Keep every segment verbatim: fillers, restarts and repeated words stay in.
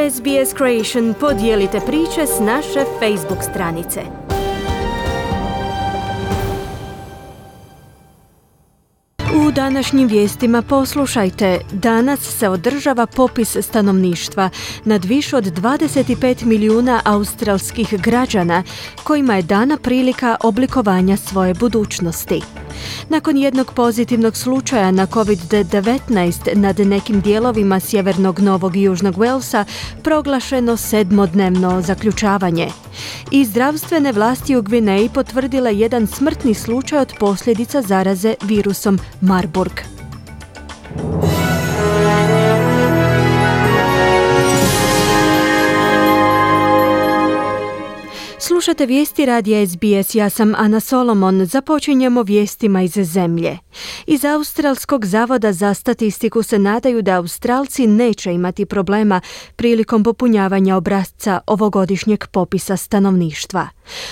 S B S Creation, podijelite priče s naše Facebook stranice. U današnjim vijestima poslušajte, danas se održava popis stanovništva nad više od dvadeset pet milijuna australskih građana kojima je dana prilika oblikovanja svoje budućnosti. Nakon jednog pozitivnog slučaja na covid devetnaest nad nekim dijelovima sjevernog Novog i Južnog Walesa proglašeno sedmodnevno zaključavanje. I zdravstvene vlasti u Gvineji potvrdile jedan smrtni slučaj od posljedica zaraze virusom Marburg. Slušate vijesti radija S B S, ja sam Ana Solomon. Započinjemo vijestima iz zemlje. Iz Australskog zavoda za statistiku se nadaju da Australci neće imati problema prilikom popunjavanja obrasca ovogodišnjeg popisa stanovništva.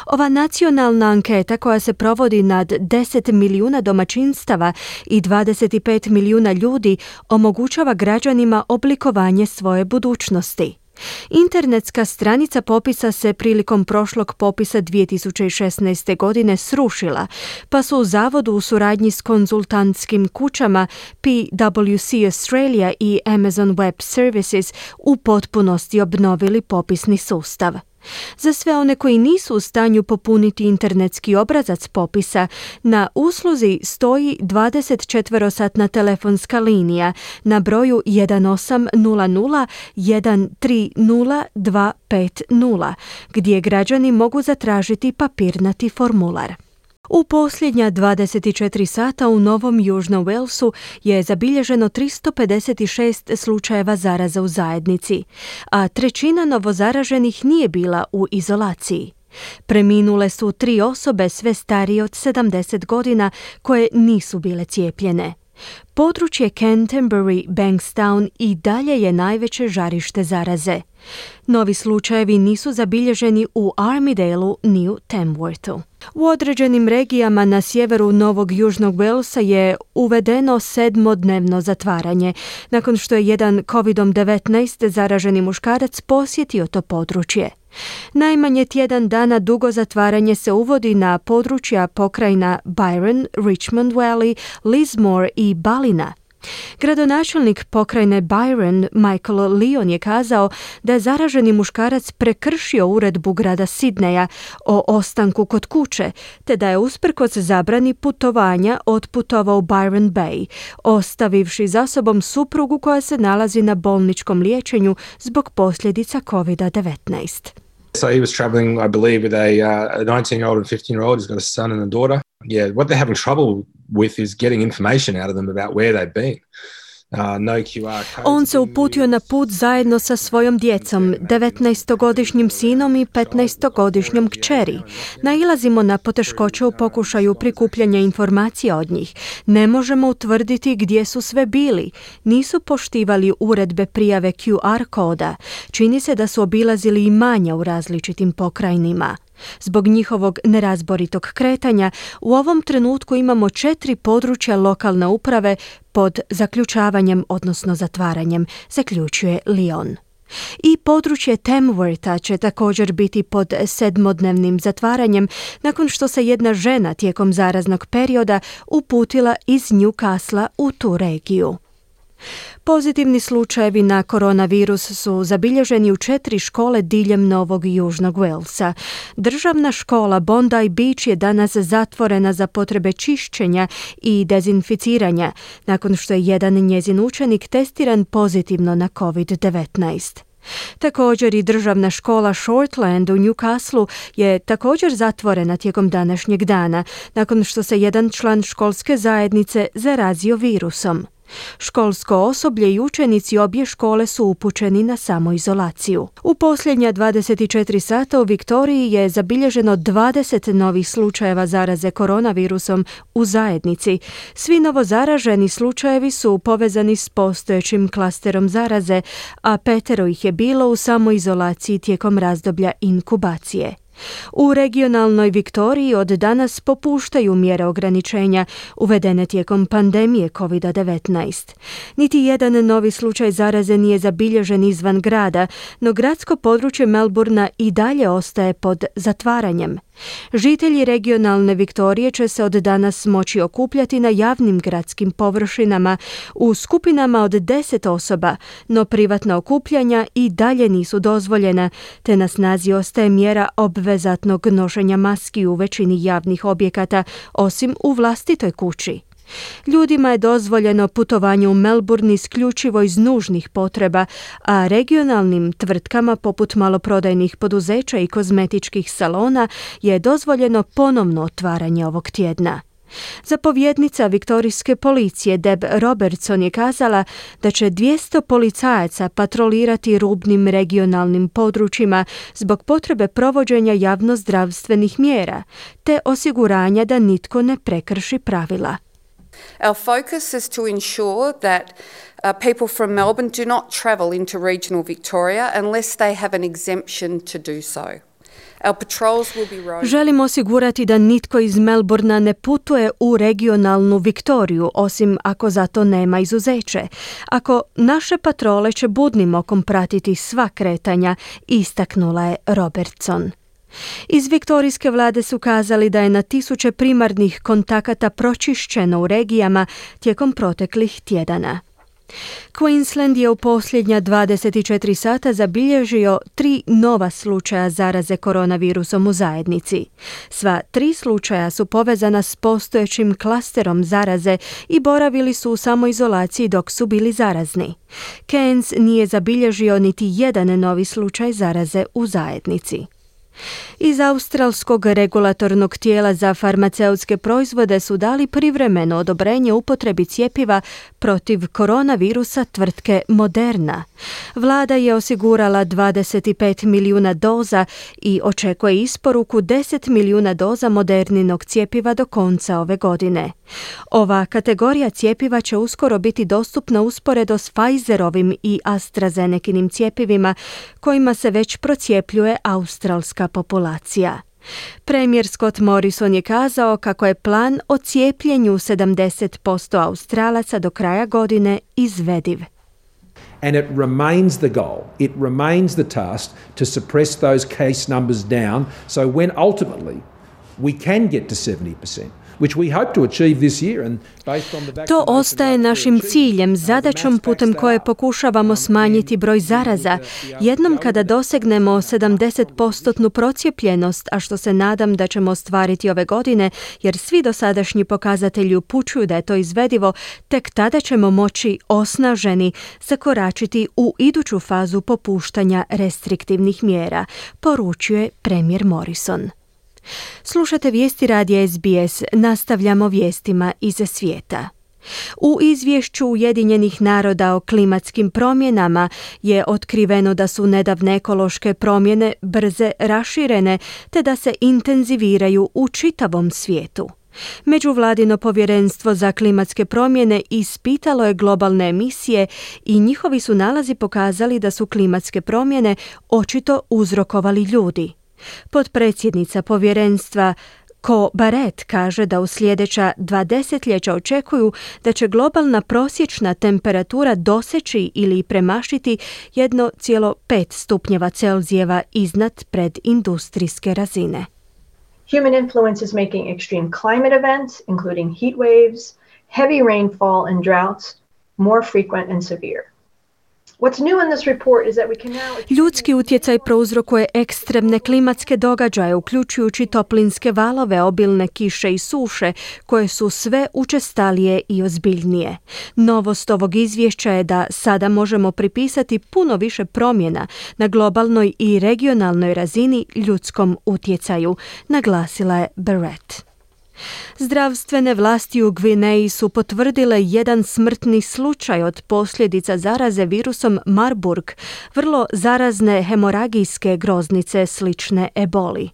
Ova nacionalna anketa koja se provodi nad deset milijuna domaćinstava i dvadeset pet milijuna ljudi omogućava građanima oblikovanje svoje budućnosti. Internetska stranica popisa se prilikom prošlog popisa dvije tisuće šesnaeste. godine srušila, pa su u zavodu u suradnji s konzultantskim kućama P W C Australia i Amazon Web Services u potpunosti obnovili popisni sustav. Za sve one koji nisu u stanju popuniti internetski obrazac popisa, na usluzi stoji dvadesetčetverosatna telefonska linija na broju jedan osam nula nula jedan tri nula dva pet nula, gdje građani mogu zatražiti papirnati formular. U posljednja dvadeset četiri sata u Novom Južnom Walesu je zabilježeno tristo pedeset šest slučajeva zaraza u zajednici, a trećina novozaraženih nije bila u izolaciji. Preminule su tri osobe sve starije od sedamdeset godina koje nisu bile cijepljene. Područje Canterbury, Bankstown i dalje je najveće žarište zaraze. Novi slučajevi nisu zabilježeni u Armidaleu ni u Tamworthu. U određenim regijama na sjeveru Novog Južnog Walesa je uvedeno sedmodnevno zatvaranje, nakon što je jedan covid devetnaest zaraženi muškarac posjetio to područje. Najmanje tjedan dana dugo zatvaranje se uvodi na područja pokrajina Byron, Richmond Valley, Lismore i Ballina. Gradonačelnik pokrajine Byron, Michael Leon, je kazao da je zaraženi muškarac prekršio uredbu grada Sidneja o ostanku kod kuće, te da je usprkos zabrani putovanja otputovao u Byron Bay, ostavivši za sobom suprugu koja se nalazi na bolničkom liječenju zbog posljedica covid devetnaest. So he was traveling, I believe, with a uh, nineteen-year-old and fifteen-year-old. He's got a son and a daughter. Yeah, what they're having trouble with is getting information out of them about where they've been. Uh, no Q R codes. On se uputio na put zajedno sa svojom djecom, devetnaestogodišnjim sinom i petnaestogodišnjom kćeri. Nailazimo na poteškoće u pokušaju prikupljanja informacija od njih. Ne možemo utvrditi gdje su sve bili. Nisu poštivali uredbe prijave Q R koda. Čini se da su obilazili imanja u različitim pokrajinima. Zbog njihovog nerazboritog kretanja, u ovom trenutku imamo četiri područja lokalne uprave pod zaključavanjem, odnosno zatvaranjem, zaključuje Leon. I područje Tamwortha će također biti pod sedmodnevnim zatvaranjem nakon što se jedna žena tijekom zaraznog perioda uputila iz Newcastle u tu regiju. Pozitivni slučajevi na koronavirus su zabilježeni u četiri škole diljem Novog i Južnog Walesa. Državna škola Bondi Beach je danas zatvorena za potrebe čišćenja i dezinficiranja, nakon što je jedan njezin učenik testiran pozitivno na covid devetnaest. Također i državna škola Shortland u Newcastleu je također zatvorena tijekom današnjeg dana, nakon što se jedan član školske zajednice zarazio virusom. Školsko osoblje i učenici obje škole su upućeni na samoizolaciju. U posljednja dvadeset četiri sata u Viktoriji je zabilježeno dvadeset novih slučajeva zaraze koronavirusom u zajednici. Svi novozaraženi slučajevi su povezani s postojećim klasterom zaraze, a petero ih je bilo u samoizolaciji tijekom razdoblja inkubacije. U regionalnoj Viktoriji od danas popuštaju mjere ograničenja uvedene tijekom pandemije kovid devetnaest. Niti jedan novi slučaj zaraze nije zabilježen izvan grada, no gradsko područje Melbourna i dalje ostaje pod zatvaranjem. Žitelji regionalne Viktorije će se od danas moći okupljati na javnim gradskim površinama u skupinama od deset osoba, no privatna okupljanja i dalje nisu dozvoljena, te na snazi ostaje mjera obvezatnog nošenja maski u većini javnih objekata, osim u vlastitoj kući. Ljudima je dozvoljeno putovanje u Melbourne isključivo iz nužnih potreba, a regionalnim tvrtkama poput maloprodajnih poduzeća i kozmetičkih salona je dozvoljeno ponovno otvaranje ovog tjedna. Zapovjednica viktorijske policije Deb Robertson je kazala da će dvjesto policajaca patrolirati rubnim regionalnim područjima zbog potrebe provođenja javnozdravstvenih mjera, te osiguranja da nitko ne prekrši pravila. Our focus is to ensure that uh, people from Melbourne do not travel into regional Victoria unless they have an exemption to do so. Our patrols will be roaming. Želimo osigurati da nitko iz Melbourna ne putuje u regionalnu Viktoriju, osim ako za to nema izuzeće. Ako naše patrole će budnim okom pratiti sva kretanja, istaknula je Robertson. Iz viktorijske vlade su kazali da je na tisuće primarnih kontakata pročišćeno u regijama tijekom proteklih tjedana. Queensland je u posljednja dvadeset četiri sata zabilježio tri nova slučaja zaraze koronavirusom u zajednici. Sva tri slučaja su povezana s postojećim klasterom zaraze i boravili su u samoizolaciji dok su bili zarazni. Cairns nije zabilježio niti jedan novi slučaj zaraze u zajednici. Iz australskog regulatornog tijela za farmaceutske proizvode su dali privremeno odobrenje upotrebi cjepiva protiv koronavirusa tvrtke Moderna. Vlada je osigurala dvadeset pet milijuna doza i očekuje isporuku deset milijuna doza Moderninog cjepiva do konca ove godine. Ova kategorija cjepiva će uskoro biti dostupna usporedo s Pfizerovim i AstraZenekinim cjepivima kojima se već procjepljuje australska populacija. Premijer Scott Morrison je kazao kako je plan o cijepljenju sedamdeset posto Australaca do kraja godine izvediv. And it remains the goal, it remains the task to suppress those case numbers down so when ultimately we can get to seventy percent. To ostaje našim ciljem, zadaćom putem koje pokušavamo smanjiti broj zaraza. Jednom kada dosegnemo sedamdeset posto procijepljenost, a što se nadam da ćemo ostvariti ove godine, jer svi dosadašnji pokazatelji upućuju da je to izvedivo, tek tada ćemo moći osnaženi zakoračiti u iduću fazu popuštanja restriktivnih mjera, poručuje premijer Morrison. Slušate vijesti radija S B S, nastavljamo vijestima iz svijeta. U izvješću Ujedinjenih naroda o klimatskim promjenama je otkriveno da su nedavne ekološke promjene brze raširene te da se intenziviraju u čitavom svijetu. Međuvladino povjerenstvo za klimatske promjene ispitalo je globalne emisije i njihovi su nalazi pokazali da su klimatske promjene očito uzrokovali ljudi. Potpredsjednica povjerenstva Ko Barrett kaže da u sljedeća dva desetljeća očekuju da će globalna prosječna temperatura doseći ili premašiti jedan zarez pet stupnjeva Celzijeva iznad predindustrijske razine. Human influence is making extreme climate events, including heat waves, heavy rainfall and droughts, more frequent and severe. Ljudski utjecaj prouzrokuje ekstremne klimatske događaje, uključujući toplinske valove, obilne kiše i suše, koje su sve učestalije i ozbiljnije. Novost ovog izvješća je da sada možemo pripisati puno više promjena na globalnoj i regionalnoj razini ljudskom utjecaju, naglasila je Barrett. Zdravstvene vlasti u Gvineji su potvrdile jedan smrtni slučaj od posljedica zaraze virusom Marburg, vrlo zarazne hemoragijske groznice slične eboli.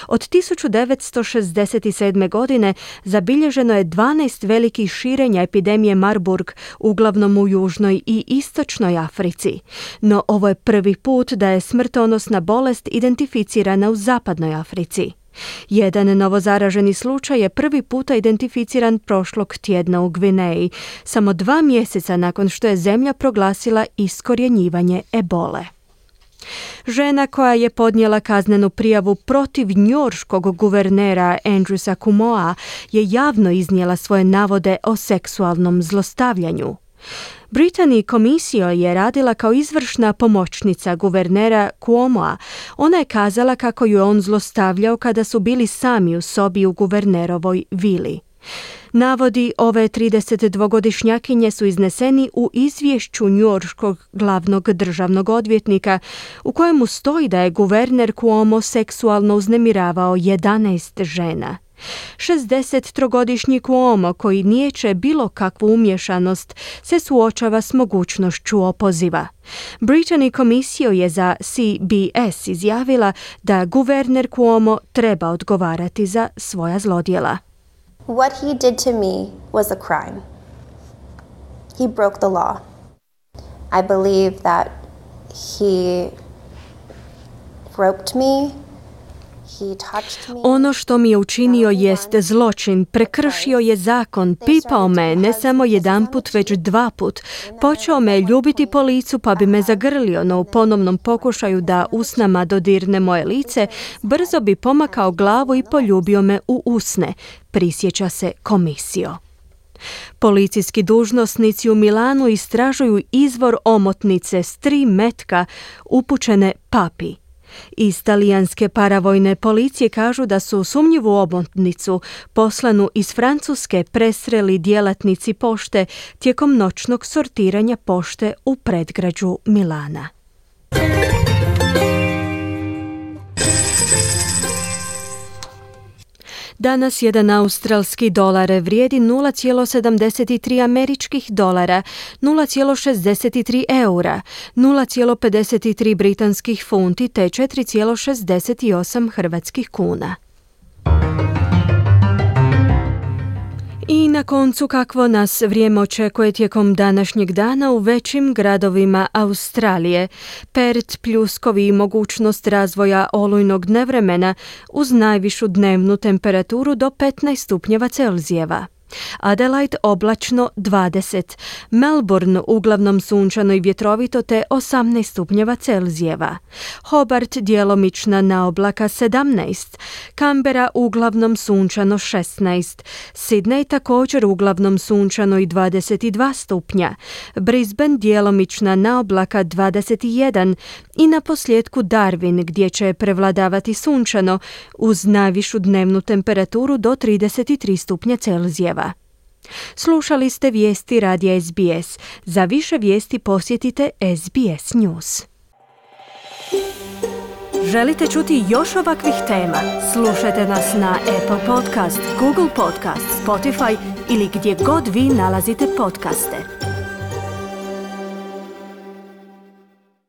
Od tisuću devetsto šezdeset sedme. godine zabilježeno je dvanaest velikih širenja epidemije Marburg, uglavnom u južnoj i istočnoj Africi. No ovo je prvi put da je smrtonosna bolest identificirana u zapadnoj Africi. Jedan novozaraženi slučaj je prvi puta identificiran prošlog tjedna u Gvineji, samo dva mjeseca nakon što je zemlja proglasila iskorjenjivanje ebole. Žena koja je podnijela kaznenu prijavu protiv njujorškog guvernera Andrewsa Cuomoa je javno iznijela svoje navode o seksualnom zlostavljanju. Brittany Comissio je radila kao izvršna pomoćnica guvernera Cuomoa. Ona je kazala kako ju je on zlostavljao kada su bili sami u sobi u guvernerovoj vili. Navodi ove tridesetdvogodišnjakinje su izneseni u izvješću njujorškog glavnog državnog odvjetnika u kojemu stoji da je guverner Cuomo seksualno uznemiravao jedanaest žena. šezdesettrogodišnji Cuomo, koji niječe bilo kakvu umješanost, se suočava s mogućnošću opoziva. Brittany Comissio je za C B S izjavila da guverner Cuomo treba odgovarati za svoja zlodjela. What he did to me was a crime. He broke the law. I believe that he groped me. He touched me. Ono što mi je učinio jest zločin, prekršio je zakon, pipao me ne samo jedanput već dva put. Počeo me ljubiti po licu pa bi me zagrlio, no u ponovnom pokušaju da usnama dodirne moje lice, brzo bi pomakao glavu i poljubio me u usne, prisjeća se Comissio. Policijski dužnosnici u Milanu istražuju izvor omotnice s tri metka upućene papi. Iz talijanske paravojne policije kažu da su sumnjivu omotnicu poslanu iz Francuske presreli djelatnici pošte tijekom noćnog sortiranja pošte u predgrađu Milana. Danas jedan australski dolar vrijedi nula zarez sedamdeset tri američkih dolara, nula zarez šezdeset tri eura, nula zarez pedeset tri britanskih funti te četiri zarez šezdeset osam hrvatskih kuna. I na koncu kakvo nas vrijeme očekuje tijekom današnjeg dana u većim gradovima Australije. Perth pljuskovi i mogućnost razvoja olujnog nevremena uz najvišu dnevnu temperaturu do petnaest stupnjeva Celzijeva. Adelaide oblačno dvadeset, Melbourne uglavnom sunčano i vjetrovito te osamnaest stupnjeva Celzijeva, Hobart djelomična naoblaka sedamnaest, Canberra uglavnom sunčano šesnaest, Sydney također uglavnom sunčano i dvadeset dva stupnja, Brisbane djelomična naoblaka dvadeset jedan i na posljedku Darwin gdje će prevladavati sunčano uz najvišu dnevnu temperaturu do trideset tri stupnja Celzijeva. Slušali ste vijesti radija S B S. Za više vijesti posjetite S B S News. Želite čuti još ovakvih tema? Slušajte nas na Apple Podcast, Google Podcast, Spotify ili gdje god vi nalazite podcaste.